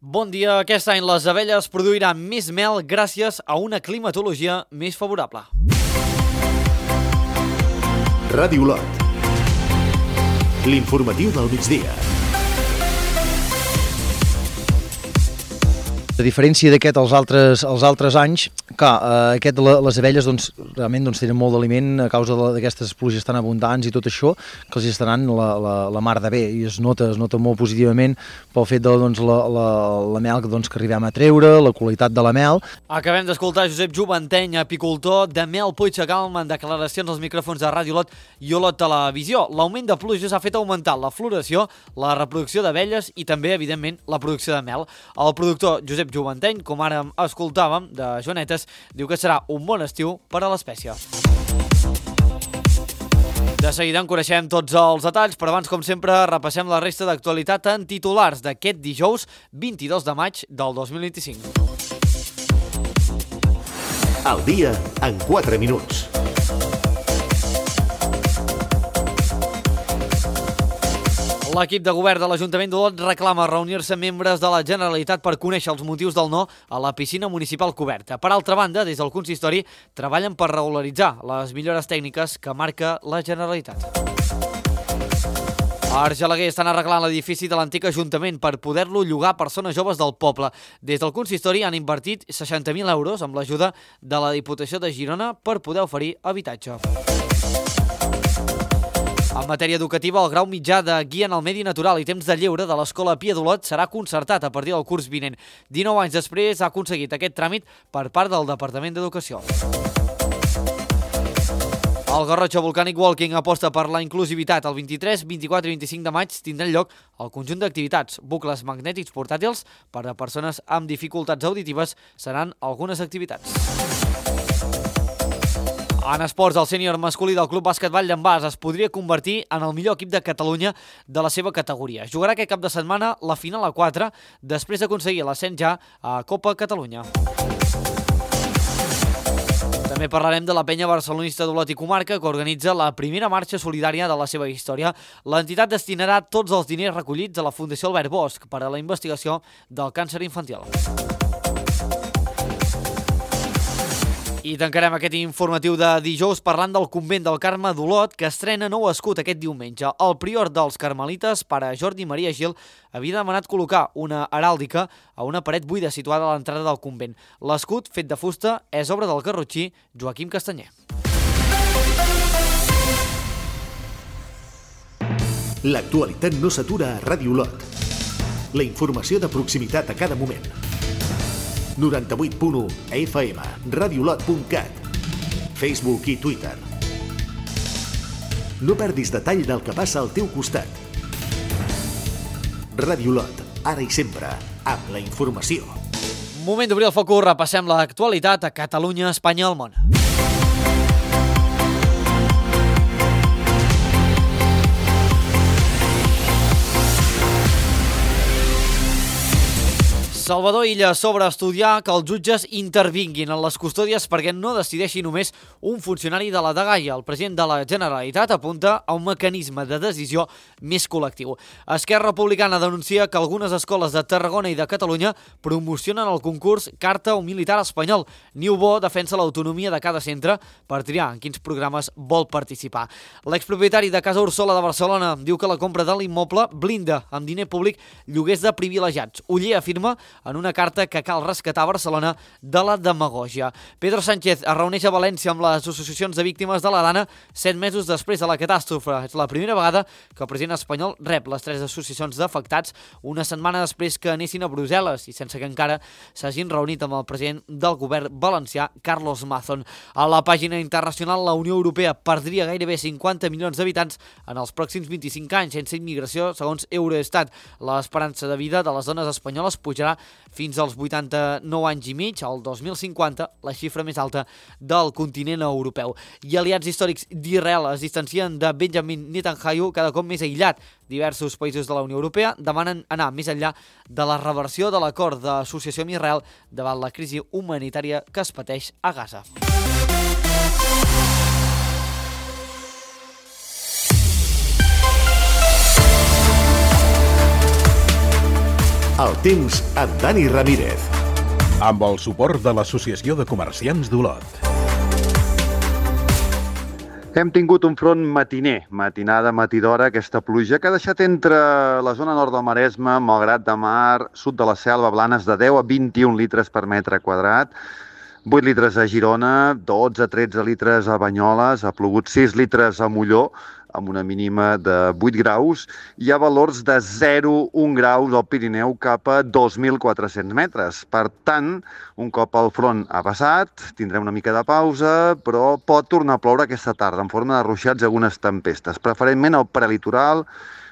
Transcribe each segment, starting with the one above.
Bon dia. Aquest any les abelles produiran més mel gràcies a una climatologia més favorable. Ràdio Olot. L'informatiu del migdia. A diferència d'aquest els altres anys, aquest les abelles realment tenen molt d'aliment a causa d'aquestes pluges tan abundants i tot això, que els estaran la mar de bé, i es nota molt positivament pel fet de la mel que arribem a treure, la qualitat de la mel. Acabem d'escoltar Josep Juvanteny, apicultor de Mel Puigdecalm, en declaracions als micròfons de Ràdio Olot i Olot Televisió. L'augment de pluges ha fet augmentar la floració, la reproducció d'abelles i també, evidentment, la producció de mel. El productor Josep Juvanteny, com ara escoltàvem, de Joanetes, diu que serà un bon estiu per a l'espècie. De seguida en coneixem tots els detalls, però abans, com sempre, repassem la resta d'actualitat en titulars d'aquest dijous 22 de maig del 2025. El dia en 4 minuts. L'equip de govern de l'Ajuntament d'Olot reclama reunir-se amb membres de la Generalitat per conèixer els motius del no a la piscina municipal coberta. Per altra banda, des del consistori treballen per regularitzar les millores tècniques que marca la Generalitat. A Argelaguer estan arreglant l'edifici de l'antic Ajuntament per poder-lo llogar a persones joves del poble. Des del consistori han invertit 60.000 euros amb l'ajuda de la Diputació de Girona per poder oferir habitatge. En matèria educativa, el grau mitjà de Guia en el Medi Natural i Temps de Lleure de l'Escola Pia d'Olot serà concertat a partir del curs vinent. 19 anys després ha aconseguit aquest tràmit per part del Departament d'Educació. El Garrotxa Volcanic Walking aposta per la inclusivitat. El 23, 24 i 25 de maig tindran lloc el conjunt d'activitats. Bucles magnètics portàtils per a persones amb dificultats auditives seran algunes activitats. En esports, el sènior masculí del Club Bàsquet Vall d'en Bas es podria convertir en el millor equip de Catalunya de la seva categoria. Jugarà aquest cap de setmana la final a 4, després d'aconseguir l'ascens ja a Copa Catalunya. També parlarem de la penya barcelonista d'Olot i Comarca, que organitza la primera marxa solidària de la seva història. L'entitat destinarà tots els diners recollits a la Fundació Albert Bosch per a la investigació del càncer infantil. I tancarem aquest informatiu de dijous parlant del convent del Carme d'Olot, que estrena nou escut aquest diumenge. El prior dels carmelites, pare Jordi Maria Gil, havia demanat col·locar una heràldica a una paret buida situada a l'entrada del convent. L'escut, fet de fusta, és obra del garrotxí Joaquim Castanyer. L'actualitat no s'atura a Ràdio Olot. La informació de proximitat a cada moment. 98.1 FM, radiolot.cat, Facebook i Twitter. No perdis detall del que passa al teu costat. Ràdio Olot, ara i sempre, amb la informació. Moment d'obrir el focus, repassem l'actualitat a Catalunya, Espanya i el món. Salvador Illa sobre estudiar que els jutges intervinguin en les custòdies perquè no decideixi només un funcionari de la dgaia. El president de la Generalitat apunta a un mecanisme de decisió més col·lectiu. Esquerra Republicana denuncia que algunes escoles de Tarragona i de Catalunya promocionen el concurs Carta o Militar Espanyol. Niubó defensa l'autonomia de cada centre per triar en quins programes vol participar. L'expropietari de Casa Ursola de Barcelona diu que la compra de l'immoble blinda amb diner públic lloguers de privilegiats. Oller afirma en una carta que cal rescatar Barcelona de la demagògia. Pedro Sánchez es reuneix a València amb les associacions de víctimes de la Dana 7 mesos després de la catàstrofe. És la primera vegada que el president espanyol rep les 3 associacions d'afectats una setmana després que anessin a Brussel·les i sense que encara s'hagin reunit amb el president del govern valencià, Carlos Mazón. A la pàgina internacional, la Unió Europea perdria gairebé 50 milions d'habitants en els pròxims 25 anys sense immigració, segons Eurostat. L'esperança de vida de les dones espanyoles pujarà fins als 89 anys i mig, al 2050, la xifra més alta del continent europeu. I aliats històrics d'Israel es distancien de Benjamin Netanyahu cada cop més aïllat. Diversos països de la Unió Europea demanen anar més enllà de la reversió de l'acord d'associació amb Israel davant la crisi humanitària que es pateix a Gaza. El temps amb Dani Ramírez. Amb el suport de l'Associació de Comerciants d'Olot. Hem tingut un front matiner, matinada, matidora, aquesta pluja que ha deixat entre la zona nord del Maresme, Malgrat de Mar, sud de la Selva, Blanes, de 10 a 21 litres per metre quadrat, 8 litres a Girona, 12 a 13 litres a Banyoles, ha plogut 6 litres a Molló, amb una mínima de 8 graus, hi ha valors de 0,1 graus al Pirineu cap a 2.400 metres. Per tant, un cop el front ha passat, tindrem una mica de pausa, però pot tornar a ploure aquesta tarda en forma de ruixats i algunes tempestes, preferentment al prelitoral,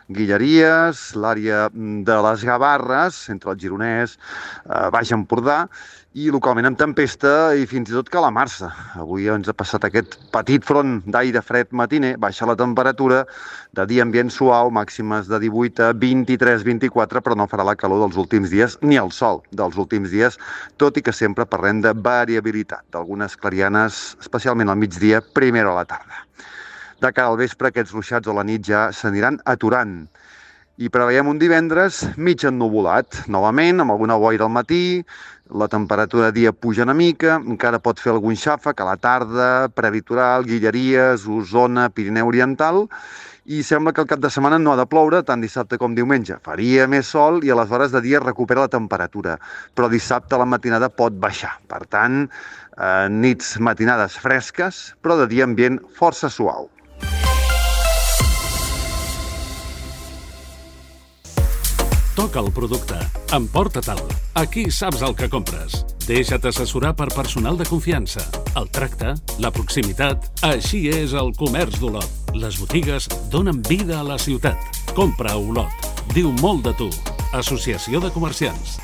Guilleries, l'àrea de les Gavarres, entre el Gironès, Baix Empordà, i localment amb tempesta i fins i tot calamarsa. Avui ens ha passat aquest petit front d'aire fred matiner, baixa la temperatura, de dia ambient suau, màximes de 18 a 23-24, però no farà la calor dels últims dies ni el sol dels últims dies, tot i que sempre parlem de variabilitat, d'algunes clarianes, especialment al migdia, primera a la tarda. De cara al vespre, aquests ruixats a la nit ja s'aniran aturant. I preveiem un divendres mig ennuvolat, novament, amb alguna boira al matí, la temperatura de dia puja una mica, encara pot fer algun xàfec a la tarda, prelitoral, Guilleries, Osona, Pirineu Oriental, i sembla que el cap de setmana no ha de ploure, tant dissabte com diumenge. Faria més sol i a les hores de dia recupera la temperatura, però dissabte a la matinada pot baixar. Per tant, nits matinades fresques, però de dia ambient força suau. Toca el producte. Emporta-te'l. Aquí saps el que compres. Deixa't assessorar per personal de confiança. El tracte, la proximitat... Així és el comerç d'Olot. Les botigues donen vida a la ciutat. Compra a Olot. Diu molt de tu. Associació de Comerciants.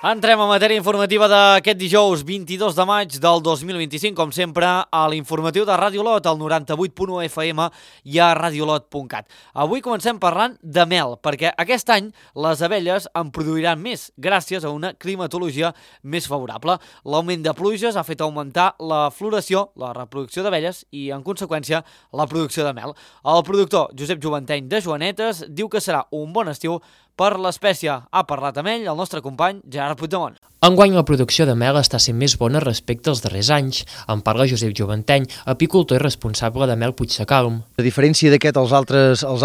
Entrem a matèria informativa d'aquest dijous 22 de maig del 2025, com sempre, a l'informatiu de Ràdio Olot, al 98.1 FM i a radiolot.cat. Avui comencem parlant de mel, perquè aquest any les abelles en produiran més, gràcies a una climatologia més favorable. L'augment de pluges ha fet augmentar la floració, la reproducció d'abelles i, en conseqüència, la producció de mel. El productor Josep Joventeny de Joanetes diu que serà un bon estiu per l'espècie. Ha parlat amb ell el nostre company Gerard Puigdemont. Enguany la producció de mel està sent més bona respecte als darrers anys. En parla Josep Joventeny, apicultor i responsable de Mel Puigsecalm. A diferència d'aquest als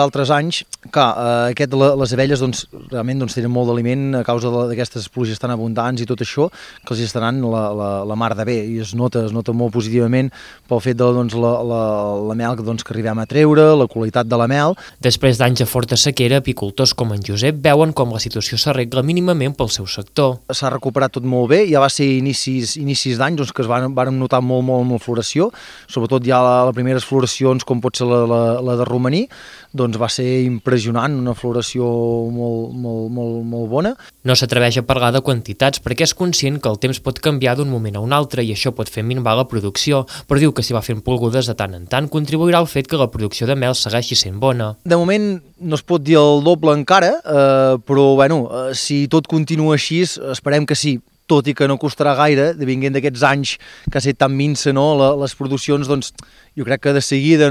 altres anys, aquest les abelles realment tenen molt d'aliment a causa d'aquestes pluges tan abundants i tot això, que els està anant la mar de bé, i es nota molt positivament pel fet de la mel que arribem a treure, la qualitat de la mel. Després d'anys de forta sequera, apicultors com en Josep veuen com la situació s'arregla mínimament pel seu sector. S'ha recuperat tot molt bé, ja va ser inicis d'any que es van notar molt floració, sobretot ja les primeres floracions, com pot ser la de romaní, va ser impressionant, una floració molt bona. No s'atreveix a parlar de quantitats perquè és conscient que el temps pot canviar d'un moment a un altre i això pot fer minvar la producció, però diu que si va fent plogudes de tant en tant contribuirà al fet que la producció de mel segueixi sent bona. De moment no es pot dir el doble encara, però si tot continua així, esperem que sí, tot i que no costarà gaire, venint d'aquests anys que ha estat tan minsa, les produccions, jo crec que de seguida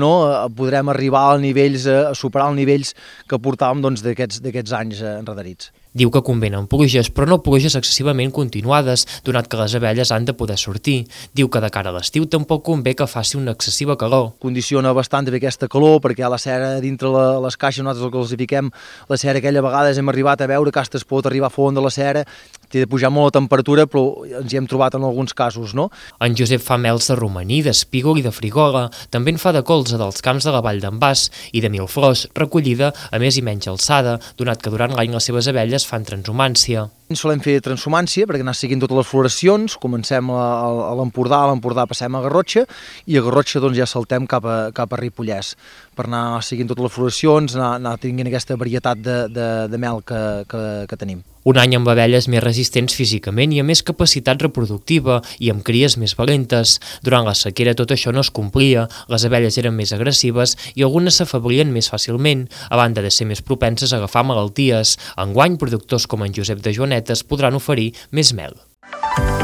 podrem arribar a superar els nivells que portàvem d'aquests anys enredarits. Diu que convenen pluges, però no pluges excessivament continuades, donat que les abelles han de poder sortir. Diu que de cara a l'estiu tampoc convé que faci una excessiva calor. Condiciona bastant també aquesta calor, perquè la cera dintre les caixes, nosaltres el que els fiquem, la cera aquella, a vegades hem arribat a veure que es pot arribar a fondre la cera, té de pujar molt la temperatura, però ens hi hem trobat en alguns casos, no? En Josep fa mels de romaní, d'espígol i de frigola. També en fa de colza dels camps de la Vall d'en Bas i de milflors, recollida a més i menys alçada, donat que durant l'any les seves abelles fan transhumància. Solem fer transhumància perquè anar seguint totes les floracions, comencem a l'Empordà passem a Garrotxa i a Garrotxa ja saltem cap a Ripollès per anar seguint totes les floracions, anar tinguent aquesta varietat de mel que tenim. Un any amb abelles més resistents físicament i amb més capacitat reproductiva i amb cries més valentes. Durant la sequera tot això no es complia, les abelles eren més agressives i algunes s'afablien més fàcilment, a banda de ser més propenses a agafar malalties. Enguany, productors com en Josep de Joanetes podran oferir més mel.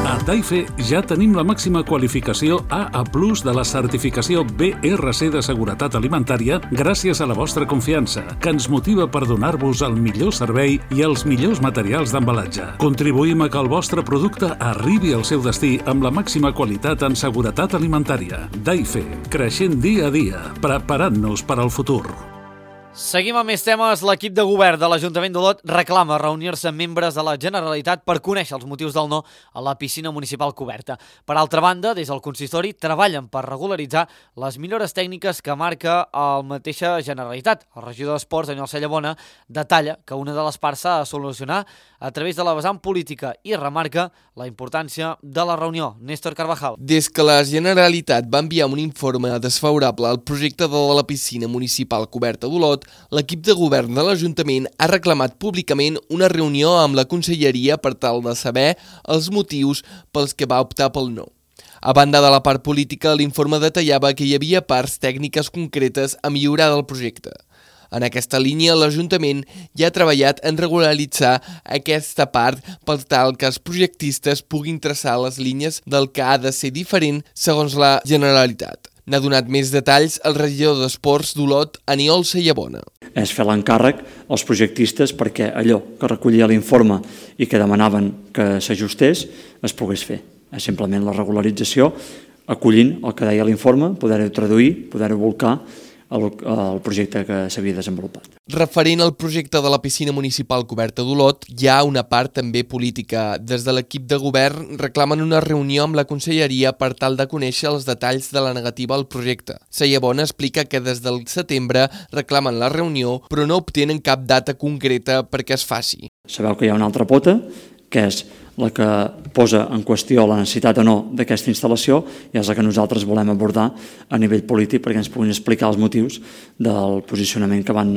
A Daife ja tenim la màxima qualificació AA+ de la certificació BRC de seguretat alimentària gràcies a la vostra confiança, que ens motiva per donar-vos el millor servei i els millors materials d'embalatge. Contribuïm a que el vostre producte arribi al seu destí amb la màxima qualitat en seguretat alimentària. Daife, creixent dia a dia, preparant-nos per al futur. Seguim amb més temes. L'equip de govern de l'Ajuntament d'Olot reclama reunir-se amb membres de la Generalitat per conèixer els motius del no a la piscina municipal coberta. Per altra banda, des del consistori treballen per regularitzar les millores tècniques que marca la mateixa Generalitat. El regidor d'Esports, Daniel Cellabona, detalla que una de les parts s'ha de solucionar a través de la vessant política i remarca la importància de la reunió. Néstor Carvajal. Des que la Generalitat va enviar un informe desfavorable al projecte de la piscina municipal coberta d'Olot, l'equip de govern de l'Ajuntament ha reclamat públicament una reunió amb la Conselleria per tal de saber els motius pels que va optar pel no. A banda de la part política, l'informe detallava que hi havia parts tècniques concretes a millorar del projecte. En aquesta línia, l'Ajuntament ja ha treballat en regularitzar aquesta part per tal que els projectistes puguin traçar les línies del que ha de ser diferent segons la Generalitat. N'ha donat més detalls el regidor d'Esports d'Olot, Aniol Cellabona. És fer l'encàrrec als projectistes perquè allò que recollia l'informe i que demanaven que s'ajustés es pogués fer. És simplement la regularització, acollint el que deia l'informe, poder-ho traduir, poder-ho volcar el projecte que s'havia desenvolupat. Referent al projecte de la piscina municipal coberta d'Olot, hi ha una part també política. Des de l'equip de govern reclamen una reunió amb la Conselleria per tal de conèixer els detalls de la negativa al projecte. Cellabona explica que des del setembre reclamen la reunió, però no obtenen cap data concreta perquè es faci. Sabeu que hi ha una altra pota, que és la que posa en qüestió la necessitat o no d'aquesta instal·lació i és la que nosaltres volem abordar a nivell polític perquè ens puguin explicar els motius del posicionament que van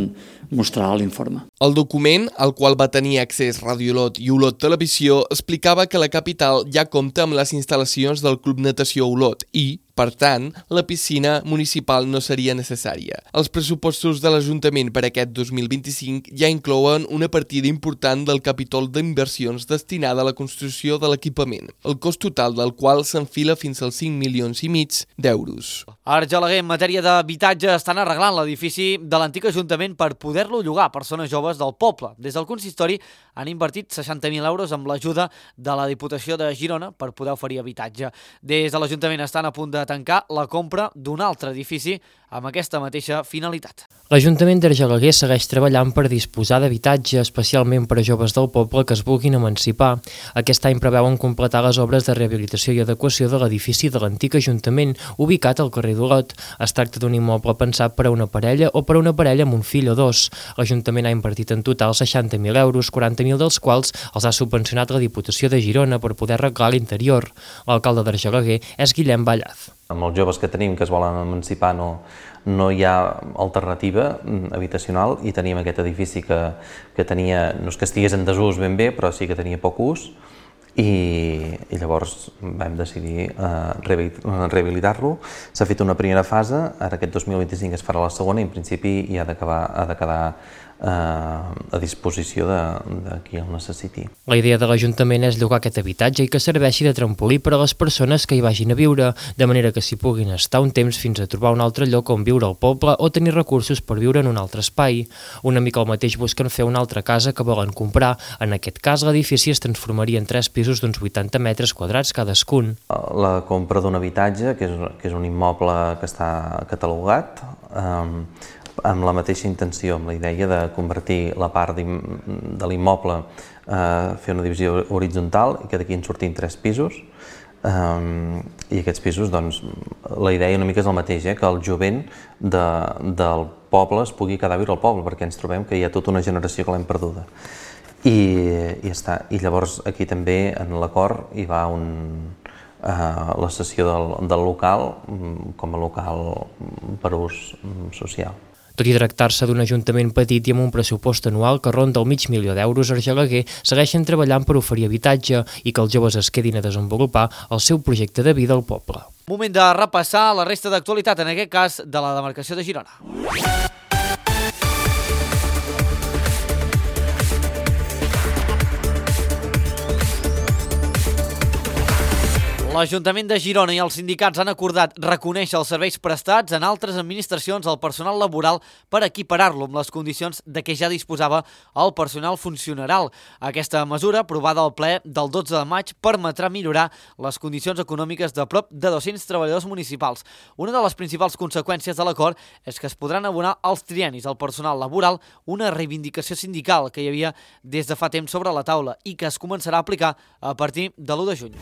mostrar a l'informe. El document, al qual va tenir accés Ràdio Olot i Olot Televisió, explicava que la capital ja compta amb les instal·lacions del Club Natació Olot i, per tant, la piscina municipal no seria necessària. Els pressupostos de l'Ajuntament per aquest 2025 ja inclouen una partida important del capítol d'inversions destinada a la construcció de l'equipament, el cost total del qual s'enfila fins als 5,5 milions d'euros. A Argelaguer, en matèria d'habitatge, estan arreglant l'edifici de l'antic Ajuntament per poder-lo llogar a persones joves del poble. Des del consistori han invertit 60.000 euros amb l'ajuda de la Diputació de Girona per poder oferir habitatge. Des de l'Ajuntament estan a punt de tancar la compra d'un altre edifici amb aquesta mateixa finalitat. L'Ajuntament d'Argelaguer segueix treballant per disposar d'habitatge, especialment per a joves del poble que es vulguin emancipar. Aquest any preveuen completar les obres de rehabilitació i adequació de l'edifici de l'antic Ajuntament, ubicat al carrer d'Olot. Es tracta d'un immoble pensat per a una parella o per a una parella amb un fill o dos. L'Ajuntament ha invertit en total 60.000 euros, 40.000 dels quals els ha subvencionat la Diputació de Girona per poder arreglar l'interior. L'alcalde d'Argelaguer és Guillem Ballaz. Amb els joves que tenim que es volen emancipar no hi ha alternativa habitacional i teníem aquest edifici que tenia, no és que estigués en desús ben bé, però sí que tenia poc ús i llavors vam decidir rehabilitar-lo. S'ha fet una primera fase, ara aquest 2025 es farà la segona i en principi ha de quedar a disposició de qui el necessiti. La idea de l'Ajuntament és llogar aquest habitatge i que serveixi de trampolí per a les persones que hi vagin a viure, de manera que s'hi puguin estar un temps fins a trobar un altre lloc on viure al poble o tenir recursos per viure en un altre espai. Una mica el mateix busquen fer una altra casa que volen comprar. En aquest cas, l'edifici es transformaria en 3 pisos d'uns 80 metres quadrats cadascun. La compra d'un habitatge, que és un immoble que està catalogat, amb la mateixa intenció, amb la idea de convertir la part de l'immoble, fer una divisió horitzontal i que d'aquí en sortin 3 pisos. I aquests pisos, doncs, la idea una mica és el mateix, que el jovent del poble es pugui quedar a viure al poble, perquè ens trobem que hi ha tota una generació que l'hem perduda. I llavors aquí també en l'acord hi va la cessió del local com a local per ús social. Tot i tractar-se d'un ajuntament petit i amb un pressupost anual que ronda el $500.000, Argelaguer segueixen treballant per oferir habitatge i que els joves es quedin a desenvolupar el seu projecte de vida al poble. Moment de repassar la resta d'actualitat, en aquest cas de la demarcació de Girona. L'Ajuntament de Girona i els sindicats han acordat reconèixer els serveis prestats en altres administracions al personal laboral per equiparar-lo amb les condicions de què ja disposava el personal funcional. Aquesta mesura, aprovada al ple del 12 de maig, permetrà millorar les condicions econòmiques de prop de 200 treballadors municipals. Una de les principals conseqüències de l'acord és que es podran abonar als triennis al personal laboral, una reivindicació sindical que hi havia des de fa temps sobre la taula i que es començarà a aplicar a partir de l'1 de juny.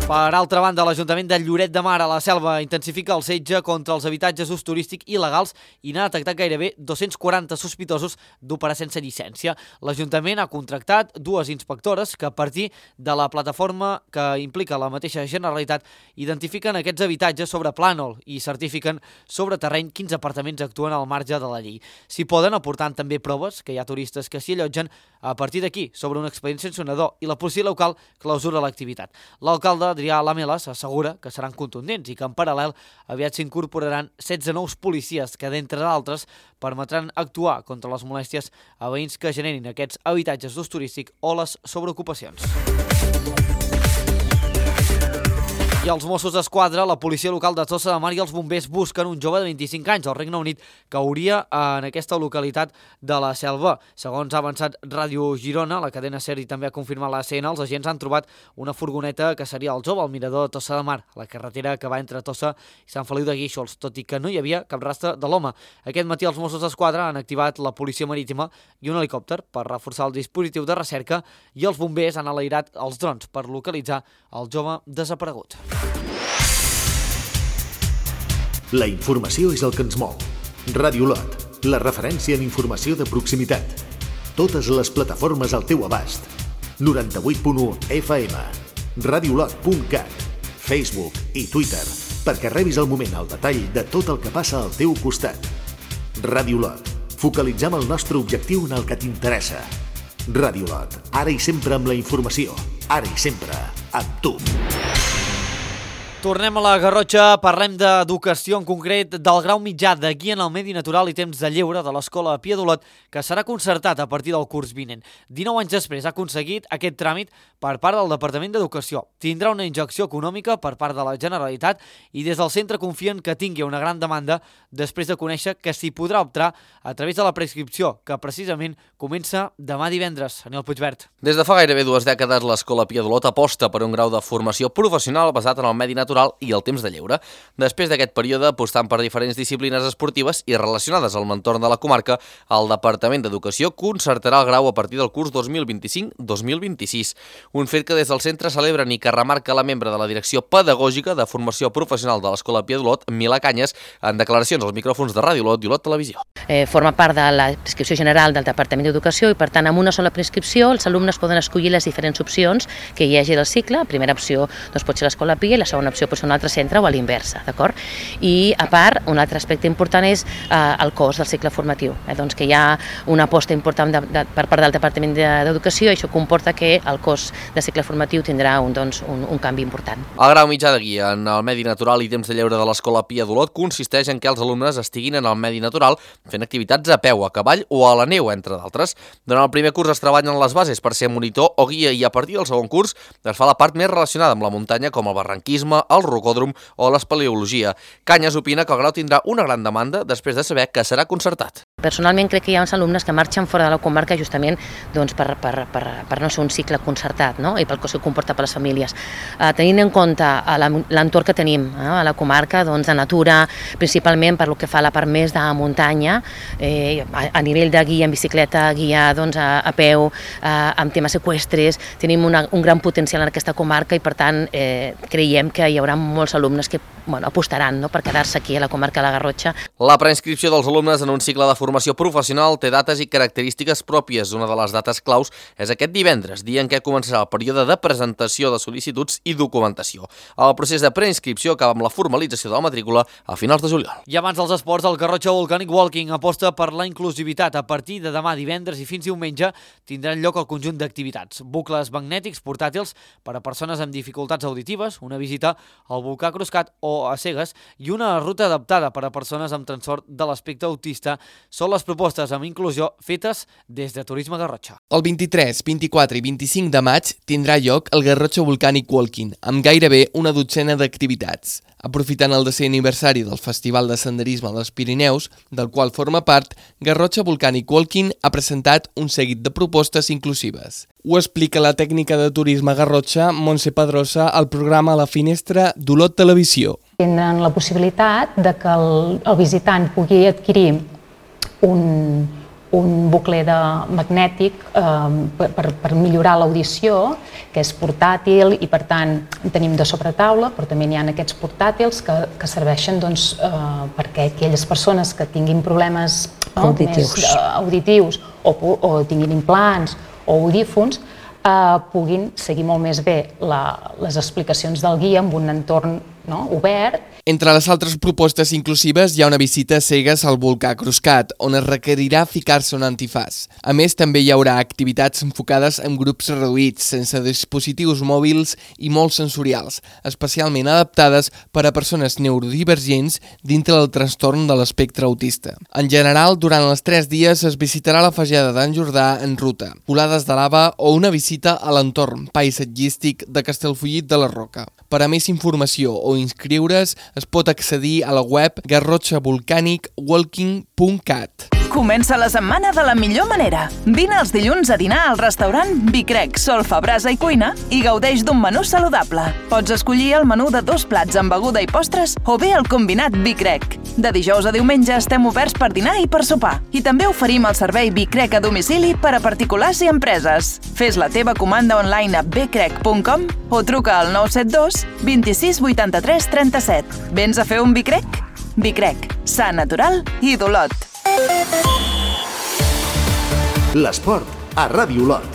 Per altra banda, l'Ajuntament de Lloret de Mar a la Selva intensifica el setge contra els habitatges d'ús turístic il·legals i n'ha detectat gairebé 240 sospitosos d'operar sense llicència. L'Ajuntament ha contractat 2 inspectores que, a partir de la plataforma que implica la mateixa Generalitat, identifiquen aquests habitatges sobre plànol i certifiquen sobre terreny quins apartaments actuen al marge de la llei. S'hi poden aportar també proves que hi ha turistes que s'hi allotgen. A partir d'aquí, sobre un expedient sancionador i la policia local clausura l'activitat. L'alcalde Adrià Lamelas assegura que seran contundents i que en paral·lel aviat s'incorporaran 16 nous policies que, d'entre d'altres, permetran actuar contra les molèsties a veïns que generin aquests habitatges d'ús turístic o les sobreocupacions. I els Mossos d'Esquadra, la policia local de Tossa de Mar i els bombers busquen un jove de 25 anys al Regne Unit que hauria en aquesta localitat de la Selva. Segons ha avançat Ràdio Girona, la cadena SER i també ha confirmat la CN, els agents han trobat una furgoneta que seria el jove al mirador de Tossa de Mar, a la carretera que va entre Tossa i Sant Feliu de Guíxols, tot i que no hi havia cap rastre de l'home. Aquest matí els Mossos d'Esquadra han activat la policia marítima i un helicòpter per reforçar el dispositiu de recerca i els bombers han alairat els drons per localitzar el jove desaparegut. La informació és el que ens mou. Ràdio Lot, la referència en informació de proximitat. Totes les plataformes al teu abast. 98.1 FM, radiolot.cat, Facebook i Twitter, perquè rebis al moment el detall de tot el que passa al teu costat. Ràdio Lot, focalitzem el nostre objectiu en el que t'interessa. Ràdio Lot, ara i sempre amb la informació, ara i sempre amb tu. Tornem a la Garrotxa, parlem d'educació, en concret del grau mitjà de Guia en el Medi Natural i Temps de Lleure de l'Escola Pia d'Olot, que serà concertat a partir del curs vinent. 19 anys després ha aconseguit aquest tràmit per part del Departament d'Educació. Tindrà una injecció econòmica per part de la Generalitat i des del centre confien que tingui una gran demanda després de conèixer que s'hi podrà optar a través de la prescripció, que precisament comença demà divendres. Aniol Puigvert. Des de fa gairebé 2 dècades, l'Escola Pia d'Olot aposta per un grau de formació professional basat en el medi natural i el temps de lleure. Després d'aquest període, apostant per diferents disciplines esportives i relacionades al entorn de la comarca, el Departament d'Educació concertarà el grau a partir del curs 2025-2026. Un fet que des del centre celebren i que remarca la membre de la Direcció Pedagògica de Formació Professional de l'Escola Pia d'Olot, Milà Canyes, en declaracions als micròfons de Ràdio Olot i Olot Televisió. Forma part de la prescripció general del Departament d'Educació i, per tant, amb una sola prescripció els alumnes poden escollir les diferents opcions que hi hagi del cicle. La primera opció pot ser l'Escola Pia i la segona opció pot ser un altre centre o a l'inversa, d'acord? I, a part, un altre aspecte important és el cost del cicle formatiu, doncs que hi ha una aposta important per part del Departament d'Educació i això comporta que el cost del cicle formatiu tindrà un canvi important. El grau mitjà de Guia en el Medi Natural i Temps de Lleure de l'Escola Pia d'Olot consisteix en que els alumnes estiguin en el medi natural fent activitats a peu, a cavall o a la neu, entre d'altres. Durant el primer curs es treballen les bases per ser monitor o guia i a partir del segon curs es fa la part més relacionada amb la muntanya, com el barranquisme, el rocòdrom o l'espeleologia. Canyes opina que el grau tindrà una gran demanda després de saber que serà concertat. Personalment crec que hi ha uns alumnes que marxen fora de la comarca justament per no ser un cicle concertat, no? I pel que comporta per les famílies. Tenint en compte l'entorn que tenim a la comarca, de natura, principalment per lo que fa a la part més de muntanya, a nivell de guia en bicicleta, guia a peu, amb temes eqüestres, tenim un gran potencial en aquesta comarca i per tant creiem que hi haurà molts alumnes que apostaran per quedar-se aquí a la comarca de la Garrotxa. La preinscripció dels alumnes en un cicle de formació professional té dates i característiques pròpies. Una de les dates claus és aquest divendres, dia en què començarà el període de presentació de sol·licituds i documentació. El procés de preinscripció acaba amb la formalització de la matrícula a finals de juliol. I abans dels esports, el Garrotxa Volcanic Walking aposta per la inclusivitat. A partir de demà divendres i fins diumenge tindran lloc el conjunt d'activitats. Bucles magnètics portàtils per a persones amb dificultats auditives, una visita al volcà Cruscat o a cegues i una ruta adaptada per a persones amb trastorn de l'espectre autista són les propostes amb inclusió fetes des de Turisme Garrotxa. El 23, 24 i 25 de maig tindrà lloc el Garrotxa Volcanic Walking, amb gairebé una dotzena d'activitats. Aprofitant el 10è aniversari del Festival de Senderisme dels Pirineus, del qual forma part, Garrotxa Volcanic Walking ha presentat un seguit de propostes inclusives. Ho explica la tècnica de turisme Garrotxa, Montse Pedrosa, al programa La Finestra d'Olot Televisió. Tenen la possibilitat de que el visitant pugui adquirir un bucle magnètic per millorar l'audició, que és portàtil i per tant tenim de sobretaula, però també n'hi ha aquests portàtils que serveixen perquè aquelles persones que tinguin problemes auditius o tinguin implants o audífons puguin seguir molt més bé les explicacions del guia en un entorn obert. Entre les altres propostes inclusives hi ha una visita a cegues al volcà Cruscat, on es requerirà ficar-se un antifàs. A més, també hi haurà activitats enfocades en grups reduïts, sense dispositius mòbils i molt sensorials, especialment adaptades per a persones neurodivergents dintre del trastorn de l'espectre autista. En general, durant els 3 dies es visitarà la Fageda d'en Jordà en ruta, volades de lava o una visita a l'entorn paisatgístic de Castellfollit de la Roca. Per a més informació o inscriure's, es pot accedir a la web garrotxavolcanicwalking.cat. Comença la setmana de la millor manera. Vine els dilluns a dinar al restaurant Bicrec, Solfa, Brasa i Cuina i gaudeix d'un menú saludable. Pots escollir el menú de 2 plats amb beguda i postres o bé el combinat Bicrec. De dijous a diumenge estem oberts per dinar i per sopar. I també oferim el servei Bicrec a domicili per a particulars i empreses. Fes la teva comanda online a bcrec.com o truca al 972 26 83 37. Vens a fer un Bicrec? Bicrec, sa, natural i d'Olot. L'esport a Ràdio Olot.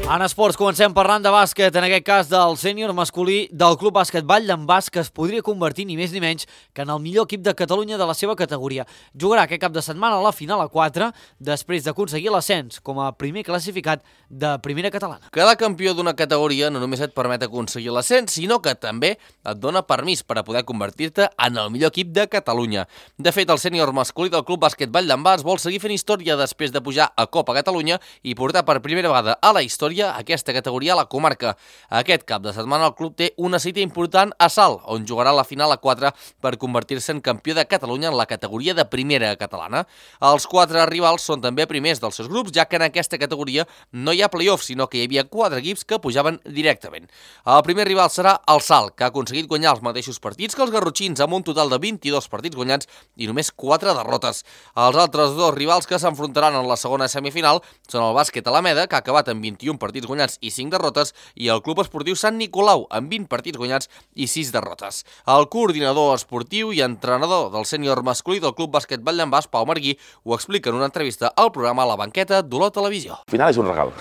En esports comencem parlant de bàsquet, en aquest cas del sènior masculí del Club Bàsquet Vall d'en Bas, que es podria convertir ni més ni menys que en el millor equip de Catalunya de la seva categoria. Jugarà aquest cap de setmana a la final a 4, després d'aconseguir l'ascens com a primer classificat de primera catalana. Quedar campió d'una categoria no només et permet aconseguir l'ascens, sinó que també et dona permís per a poder convertir-te en el millor equip de Catalunya. De fet, el sènior masculí del Club Bàsquet Vall d'en Bas vol seguir fent història després de pujar a Copa Catalunya i portar per primera vegada a la història aquesta categoria a la comarca. Aquest cap de setmana el club té una cita important a Salt, on jugarà la final a 4 per convertir-se en campió de Catalunya en la categoria de primera catalana. Els 4 rivals són també primers dels seus grups, ja que en aquesta categoria no hi ha play-off, sinó que hi havia 4 equips que pujaven directament. El primer rival serà el Salt, que ha aconseguit guanyar els mateixos partits que els garrotxins, amb un total de 22 partits guanyats i només 4 derrotes. Els altres 2 rivals que s'enfrontaran en la segona semifinal són el Bàsquet Alameda, que ha acabat amb 21 partits guanyats i 5 derrotes, i el Club Esportiu Sant Nicolau, amb 20 partits guanyats i 6 derrotes. El coordinador esportiu i entrenador del sènior masculí del Club Bàsquet Vall d'en Bas, Pau Marguí, ho explica en una entrevista al programa La Banqueta d'Olot Televisió. Al final és un regal.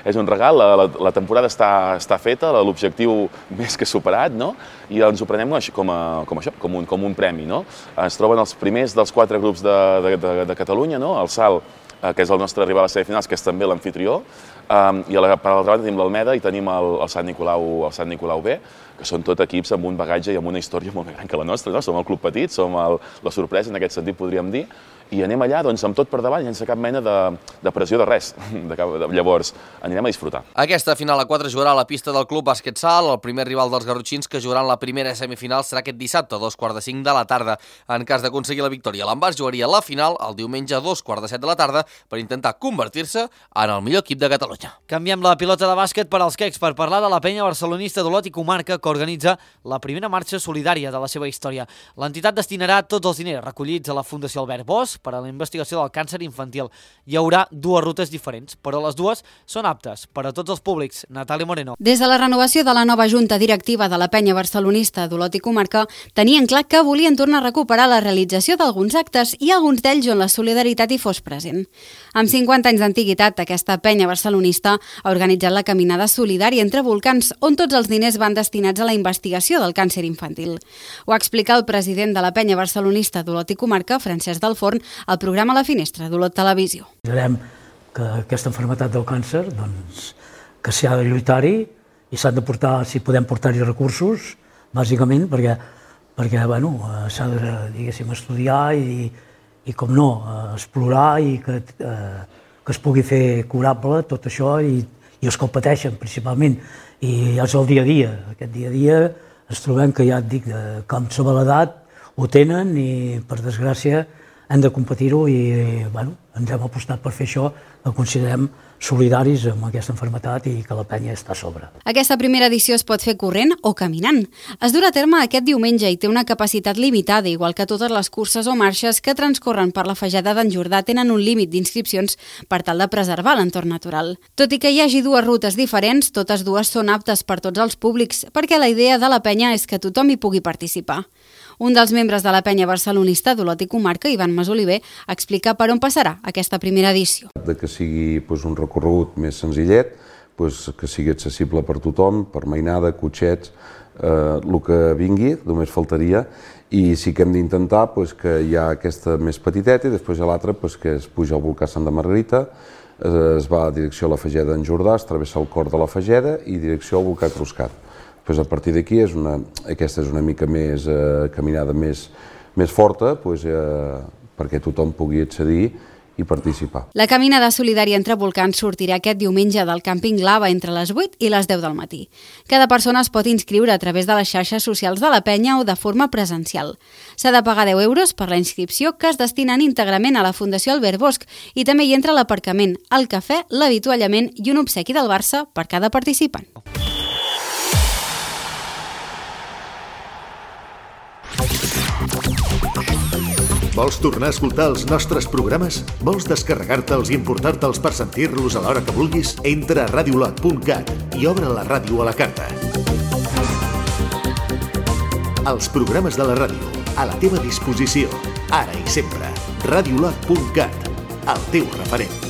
És un regal, la temporada està feta, l'objectiu més que superat, no? I ens ho prenem com un premi, no? Es troben els primers dels 4 grups de Catalunya, no? El Salt, que és el nostre rival a semifinals, que és també l'amfitrió, i per l'altra banda tenim l'Almeda i tenim el Sant Nicolau B, que són tot equips amb un bagatge i amb una història molt més gran que la nostra, no? Som el club petit, som la sorpresa, en aquest sentit podríem dir, i anem allà amb tot per davant, sense cap mena de pressió de res. Llavors, anirem a disfrutar. Aquesta final a 4 jugarà a la pista del Club Bàsquet Salt. El primer rival dels garrotxins que jugaran la primera semifinal serà aquest dissabte a 2:45 de la tarda. En cas d'aconseguir la victòria, l'Envàs jugaria la final el diumenge a 2:15 de la tarda per intentar convertir-se en el millor equip de Catalunya. Canviem la pilota de bàsquet per als quecs per parlar de la penya barcelonista d'Olot i comarca que organitza la primera marxa solidària de la seva història. L'entitat destinarà tots els diners recollits a la Fundació Albert Bosch per a la investigació del càncer infantil. Hi haurà 2 rutes diferents, però les 2 són aptes per a tots els públics. Natàlia Moreno. Des de la renovació de la nova junta directiva de la penya barcelonista d'Olot i comarca, tenien clar que volien tornar a recuperar la realització d'alguns actes i alguns d'ells on la solidaritat hi fos present. Amb 50 anys d'antiguitat, aquesta penya barcelonista ha organitzat la caminada solidària entre volcans, on tots els diners van destinats a la investigació del càncer infantil. Ho explica el president de la penya barcelonista d'Olot i comarca, Francesc del Forn, al programa La Finestra d'Olot Televisió. Direm que aquesta malaltia del càncer, doncs, que s'hi ha de lluitar-hi i s'han de portar, si podem portar-hi recursos, bàsicament perquè perquè s'ha de, diguéssim, estudiar i com no, explorar i que es pugui fer curable tot això i els que ho pateixen principalment. I és el dia a dia. Aquest dia a dia ens trobem que ja et dic, com som a l'edat, ho tenen i per desgràcia hem de competir-ho i ens hem apostat per fer això, que considerem solidaris amb aquesta malaltia i que la penya està a sobre. Aquesta primera edició es pot fer corrent o caminant. Es durà a terme aquest diumenge i té una capacitat limitada, igual que totes les curses o marxes que transcorren per la Fageda d'en Jordà tenen un límit d'inscripcions per tal de preservar l'entorn natural. Tot i que hi hagi dues rutes diferents, totes dues són aptes per tots els públics, perquè la idea de la penya és que tothom hi pugui participar. Un dels membres de la penya barcelonista d'Olot i Comarca, Ivan Masoliver, explica per on passarà aquesta primera edició. Que sigui un recorregut més senzillet, que sigui accessible per tothom, per mainada, cotxets, el que vingui, només faltaria, i sí que hem d'intentar que hi ha aquesta més petiteta i després hi ha l'altra que es puja al volcà Santa Margarita, es va a direcció a la Fageda d'en Jordà, es travessa el cor de la Fageda i direcció al volcà Cruscat. A partir d'aquí, aquesta és una mica més caminada més forta perquè tothom pugui accedir i participar. La caminada solidària entre volcans sortirà aquest diumenge del càmping Lava entre les 8 i les 10 del matí. Cada persona es pot inscriure a través de les xarxes socials de la penya o de forma presencial. S'ha de pagar 10 euros per la inscripció que es destinen íntegrament a la Fundació Albert Bosch i també hi entra l'aparcament, el cafè, l'avituallament i un obsequi del Barça per cada participant. Vols tornar a escoltar els nostres programes? Vols descarregar-te'ls i emportar-te'ls per sentir-los a l'hora que vulguis? Entra a radiolot.cat i obre la ràdio a la carta. Els programes de la ràdio, a la teva disposició, ara i sempre. radiolot.cat, el teu referent.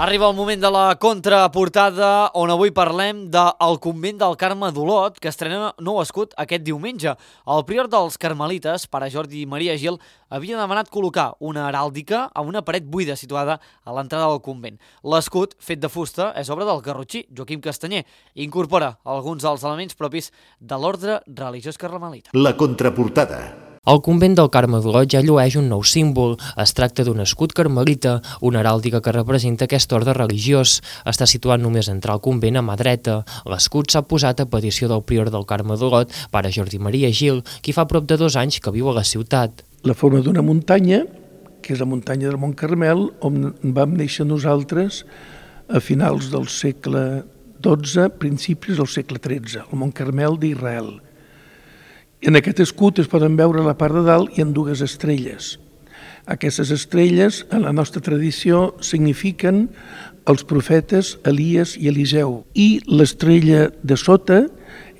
Arriba el moment de la contraportada, on avui parlem del convent del Carme d'Olot, que estrena nou escut aquest diumenge. El prior dels Carmelites, pare Jordi Maria Gil, havia demanat col·locar una heràldica a una paret buida situada a l'entrada del convent. L'escut, fet de fusta, és obra del garrotxí Joaquim Castanyer i incorpora alguns dels elements propis de l'ordre religiós carmelita. La contraportada. El convent del Carme d'Olot ja llueix un nou símbol. Es tracta d'un escut carmelita, una heràldica que representa aquest ordre religiós. Està situat només a entrar al convent a mà dreta. L'escut s'ha posat a petició del prior del Carme d'Olot, pare Jordi Maria Gil, qui fa prop de 2 anys que viu a la ciutat. La forma d'una muntanya, que és la muntanya del Mont Carmel, on vam néixer nosaltres a finals del segle XII, principis del segle XIII, el Mont Carmel d'Israel. En aquest escut es poden veure a la part de dalt i en 2 estrelles. Aquestes estrelles, en la nostra tradició, signifiquen els profetes Elies i Eliseu, i l'estrella de sota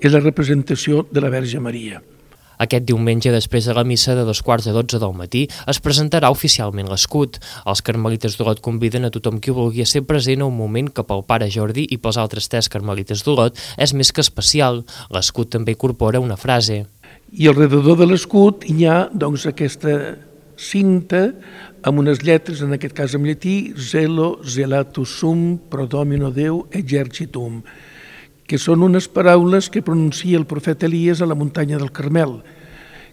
és la representació de la Verge Maria. Aquest diumenge, després de la missa de 11:45 del matí, es presentarà oficialment l'escut. Els carmelites d'Olot conviden a tothom qui vulgui a ser present a un moment que pel pare Jordi i pels altres 3 carmelites d'Olot és més que especial. L'escut també incorpora una frase. I al redador de l'escut hi ha aquesta cinta amb unes lletres, en aquest cas en llatí, Zelo, Zelatus Sum, Pro Domino Deu, Exercitum, que són unes paraules que pronuncia el profeta Elies a la muntanya del Carmel.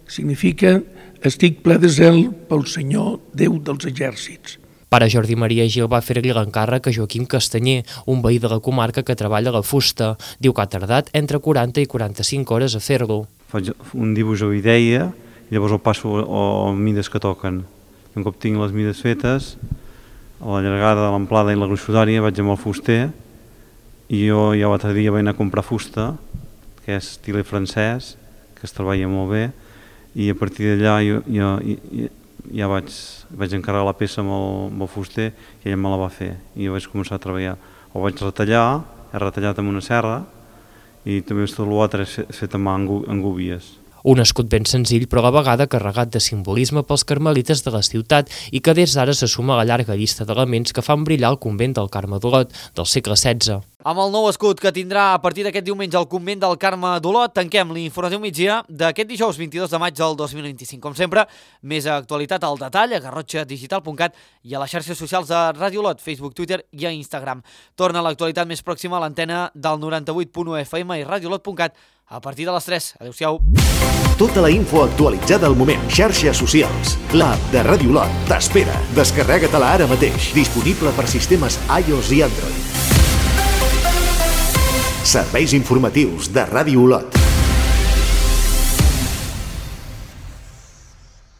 Significa, estic ple de zel pel Senyor, Déu dels exèrcits. Pare Jordi Maria Gil va fer-li l'encàrrec a Joaquim Castanyer, un veí de la comarca que treballa la fusta. Diu que ha tardat entre 40 i 45 hores a fer-lo. Faig un dibuix o idea i llavors el passo a mides que toquen. Un cop tinc les mides fetes, a la llargada, l'amplada i la gruixudària vaig amb el fuster i jo ja l'altre dia vaig anar a comprar fusta, que és estilet francès, que es treballa molt bé, i a partir d'allà ja vaig encarregar la peça amb el fuster i ell me la va fer i jo vaig començar a treballar. Ho vaig retallar, he retallat amb una serra i també tot l'altre és fet amb mà en gúbies. Un escut ben senzill però a la vegada carregat de simbolisme pels carmelites de la ciutat i que des d'ara se suma a la llarga llista d'elements que fan brillar el convent del Carme d'Olot del segle XVI. Amb el nou escut que tindrà a partir d'aquest diumenge el convent del Carme d'Olot, tanquem l'informatiu migdia d'aquest dijous 22 de maig del 2025. Com sempre, més actualitat al detall a garrotxadigital.cat i a les xarxes socials de Ràdio Olot, Facebook, Twitter i a Instagram. Torna l'actualitat més pròxima a l'antena del 98.1 FM i radioolot.cat a partir de les 3. Adéu-siau. Tota la info actualitzada al moment. Xarxes socials. L'app de Ràdio Olot t'espera. Descarrega-te-la ara mateix. Disponible per sistemes iOS i Android. Serveis informatius de Ràdio Olot.